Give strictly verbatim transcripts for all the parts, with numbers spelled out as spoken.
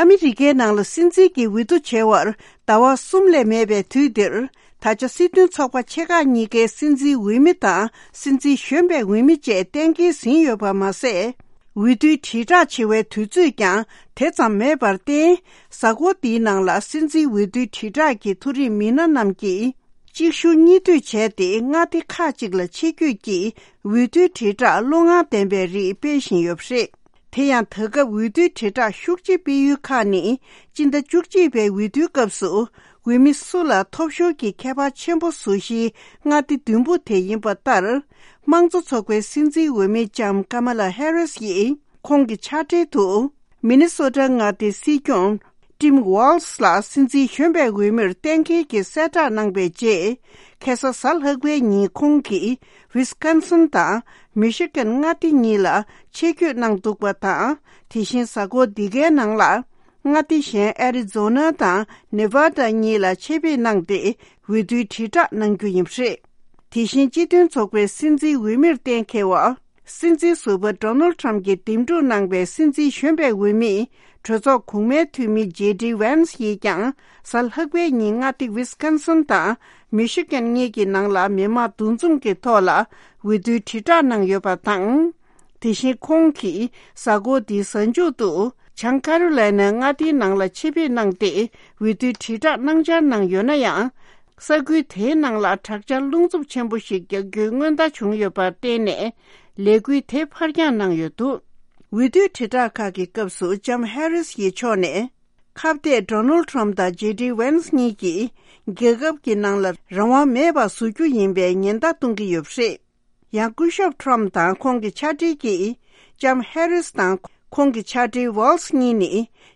ཨ་མི་རི་ཀའི་ནང་ལ་སྲིད་འཛིན་གྱི་འོས་བསྡུ་བྱས་པར་ཟླ་བ་གསུམ་ལས་མེད་པའི་དུས་འདིར། ད་ཆ་སྲིད་དོན་ཚོགས་པ་ཆེ་ཁག་གཉིས་ཀའི་སྲིད་འཛིན་འོས་མི་དང་སྲིད་འཛིན་གཞོན་པའི་འོས་མི་བཅས་གཏན་འཁེལ་ཟིན་ཡོད་པ་མ་ཟད། འོས་བསྡུའི་དྲིལ་བསྒྲགས་བྱེད་པའི་དུས་ཚོད་ཀྱང་དེ་ཙམ་མེད་པར་བརྟེན། གཟའ་འཁོར་འདིའི་ནང་ལ་སྲིད་འཛིན་འོས་བསྡུའི་དྲིལ་བསྒྲགས་ཀྱི་མཐོ་རིམ་མི་སྣ་རྣམས་ཀྱིས་གཅིག་ཞུ་གཉིས་མཐུད་བྱས་ཏེ། མངའ་སྡེ་ཁག་ཅིག་ལ་ཆེད་བསྐྱོད་ཀྱིས་འོས་བསྡུའི་དྲིལ་བསྒྲགས་བློ་ངར་ལྡན་པའི་རིགས་སྤེལ་བཞིན་ཡོད་པ་རེད། དེ་ཡང་ད་སྐབས་འོས་བསྡུའི་དྲིལ་བསྒྲགས་ཤུགས་ཆེ་སྤེལ་ཡུལ་ཁག་ནི། སྤྱི་ཟླ་བཅུ་གཅིག་པའི་འོས་བསྡུའི་སྐབས་སུ་འོས་མི་སུ་ལ་ཐོབ་ཤོར་གྱི་ཁྱད་པར་ཆེན་པོ་བཟོ་གཞིའི་མངའ་སྡེ་བདུན་པོ་དེ་ཡིན་པ་ལྟར། དམངས་གཙོ་ཚོགས་པའི་སྲིད་འཛིན་འོས་མི་ལྕམ་ཀ་མ་ལ་ཧེ་རིས་ཡིས་ཁོང་གི་ཕྱག་བྲིས་དུ། མི་ནི་སོ་ཊ་མངའ་སྡེའི་སྲིད་སྐྱོང་ཊིམ་ཝོལ་སི་ལ་སྲིད་འཛིན་གཞོན་པའི་འོས་མིར་གཏན་འཁེལ་གྱི་གསལ་བསྒྲགས་གནང་པའི་རྗེས། ཁ་སང་གཟའ་ལྷག་པའི་ཉིན་ཁོང་གིས་ཝི་སི་ཀོན་སིན་དང་མི་ཤི་གན་མངའ་སྡེ་གཉིས་ལ་ཆེད་བསྐྱོད་གནང་འདུག་པ་དང་། དེ་བཞིན་གཟའ་འཁོར་འདི་གའི་ནང་ལ། མངའ་སྡེ་གཞན་ཨེ་རི་ཛོ་ན་དང་ནེ་ཝ་ཌ་གཉིས་ལ་ཆེད་ཕེབས་གནང་སྟེ་འོས་བསྡུའི་དྲིལ་བསྒྲགས་གནང་རྒྱུ་ཡིན་པ་རེད། དེ་བཞིན་སྤྱི་མཐུན་ཚོགས་པའི་སྲིད་འཛིན་འོས་མིར་གཏན་འཁེལ་བ། སྲིད་འཛིན་ཟུར་པ་ཌོ་ནལ་ཊམ་གྱིས་འདེམས་སྒྲུག་གནང་པའི་སྲིད་འཛིན་གཞོན་པའི་འོས་མི། གྲོས་ཚོགས་གོང་མའི་འཐུས་མི་ཇེ་ཌི་ཝན་སི་ཡིས་ཀྱང་གཟའ་ལྷག་པའི་ཉིན་མངའ་སྡེ་ཝི་སི་ཀོན་སིན་དང་མི་ཤི་གན་གཉིས་ཀྱི་ནང་ལ་མི་མང་འདུ་འཛོམས་ཀྱི་ཐོག་ལ་འོས་བསྡུའི་དྲིལ་བསྒྲགས་གནང་ཡོད་པ་དང་། དེ་བཞིན་ཁོང་གིས་གཟའ་འཁོར་འདིའི་གཟའ་མཇུག་ཏུ་བྱང་ཀ་རོ་ལའི་ནའི་མངའ་སྡེའི་ནང་ལ་ཆེད་ཕེབས་གནང་སྟེ་འོས་བསྡུའི་དྲིལ་བསྒྲགས་གནང་འཆར་གནང་ཡོད་ན་ཡང་། ས་ཁུལ་དེའི་ནང་ལ་དྲག་ཆར་རླུང་འཚུབ་ཆེན་པོ་ཞིག་རྒྱག་རྒྱུའི་སྔོན་བརྡ་བྱུང་ཡོད་པར་བརྟེན་ནས། ལས་འགུལ་དེ་ཕར་འགྱངས་གནང་ཡོད་འདུག་འོས་བསྡུའི་དྲིལ་བསྒྲགས་ཁག་གི་སྐབས་སུ་ལྕམ་ཧེ་རིས་ཡི་ཕྱོགས་ནས། ཁ་གཏད་ཌོ་ནལ་ཊམ་དང་ཇེ་ཌི་ཝན་སི་གཉིས་ཀྱིས་རྒྱལ་ཁབ་ཀྱི་ནང་ལ་རང་དབང་མེད་པ་བཟོ་རྒྱུ་ཡིན་པའི་ཉེན་བརྡ་གཏོང་གི་ཡོད་པ་རེད། ཡང་སྐུ་ཞབས་ཊམ་དང་ཁོང་གི་ཕྱག་སྦྲེལ་གྱིས་ལྕམ་ཧེ་རིས་དང་ཁོང་གི་ཕྱག་སྦྲེལ་ཝོལ་སི་གཉིས་ནི་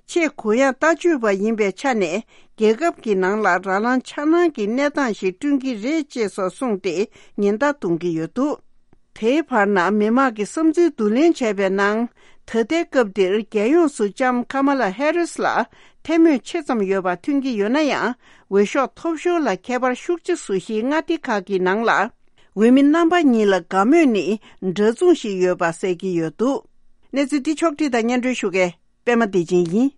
ཆེས་གུ་ཡངས་ལྟ་སྤྱོད་པ་ཡིན་པའི་ཆ་ནས་རྒྱལ་ཁབ་ཀྱི་ནང་ལ་རང་དབང་འཆར་སྣང་གི་གནས་སྟངས་ཤིག་བསྐྲུན་གྱི་རེད་ཅེས་སོགས་གསུངས་ཏེ་ཉེན་བརྡ་གཏོང་གི་ཡོད་འདུག་དེའི་བར་ན་མི་མང་གི་བསམ་ཚུལ་བསྡུ་ལེན་བྱས་པའི་ནང་། ད་ལྟའི་སྐབས་འདིར་རྒྱལ་ཡོངས་སུ་ལྕམ་ཀ་མ་ལ་ཧེ་རིས་ལ་ཐལ་མོད་ཆེ་ཙམ་ཡོད་པ་ཐོན་གྱི་ཡོད་ན་ཡང་། འོས་ཤོག་ཐོབ་ཤོར་ལ་ཁྱད་པར་ཤུགས་ཆེ་བཟོ་གཞིའི་མངའ་སྡེ་ཁག་གི་ནང་ལ། འོས་མི་རྣམ་པ་གཉིས་ལ་དགའ་མོས་ནི་འདྲ་མཚུངས་ཤིག་ཡོད་པ་གསལ་གྱི་ཡོད་འདུག་གནས་ཚུལ་འདི་ཕྱོགས་བསྒྲིགས་དང་སྙན་སྒྲོན་ཞུ་མཁན་པད་མ་བདེ་ཆེན་ཡིན།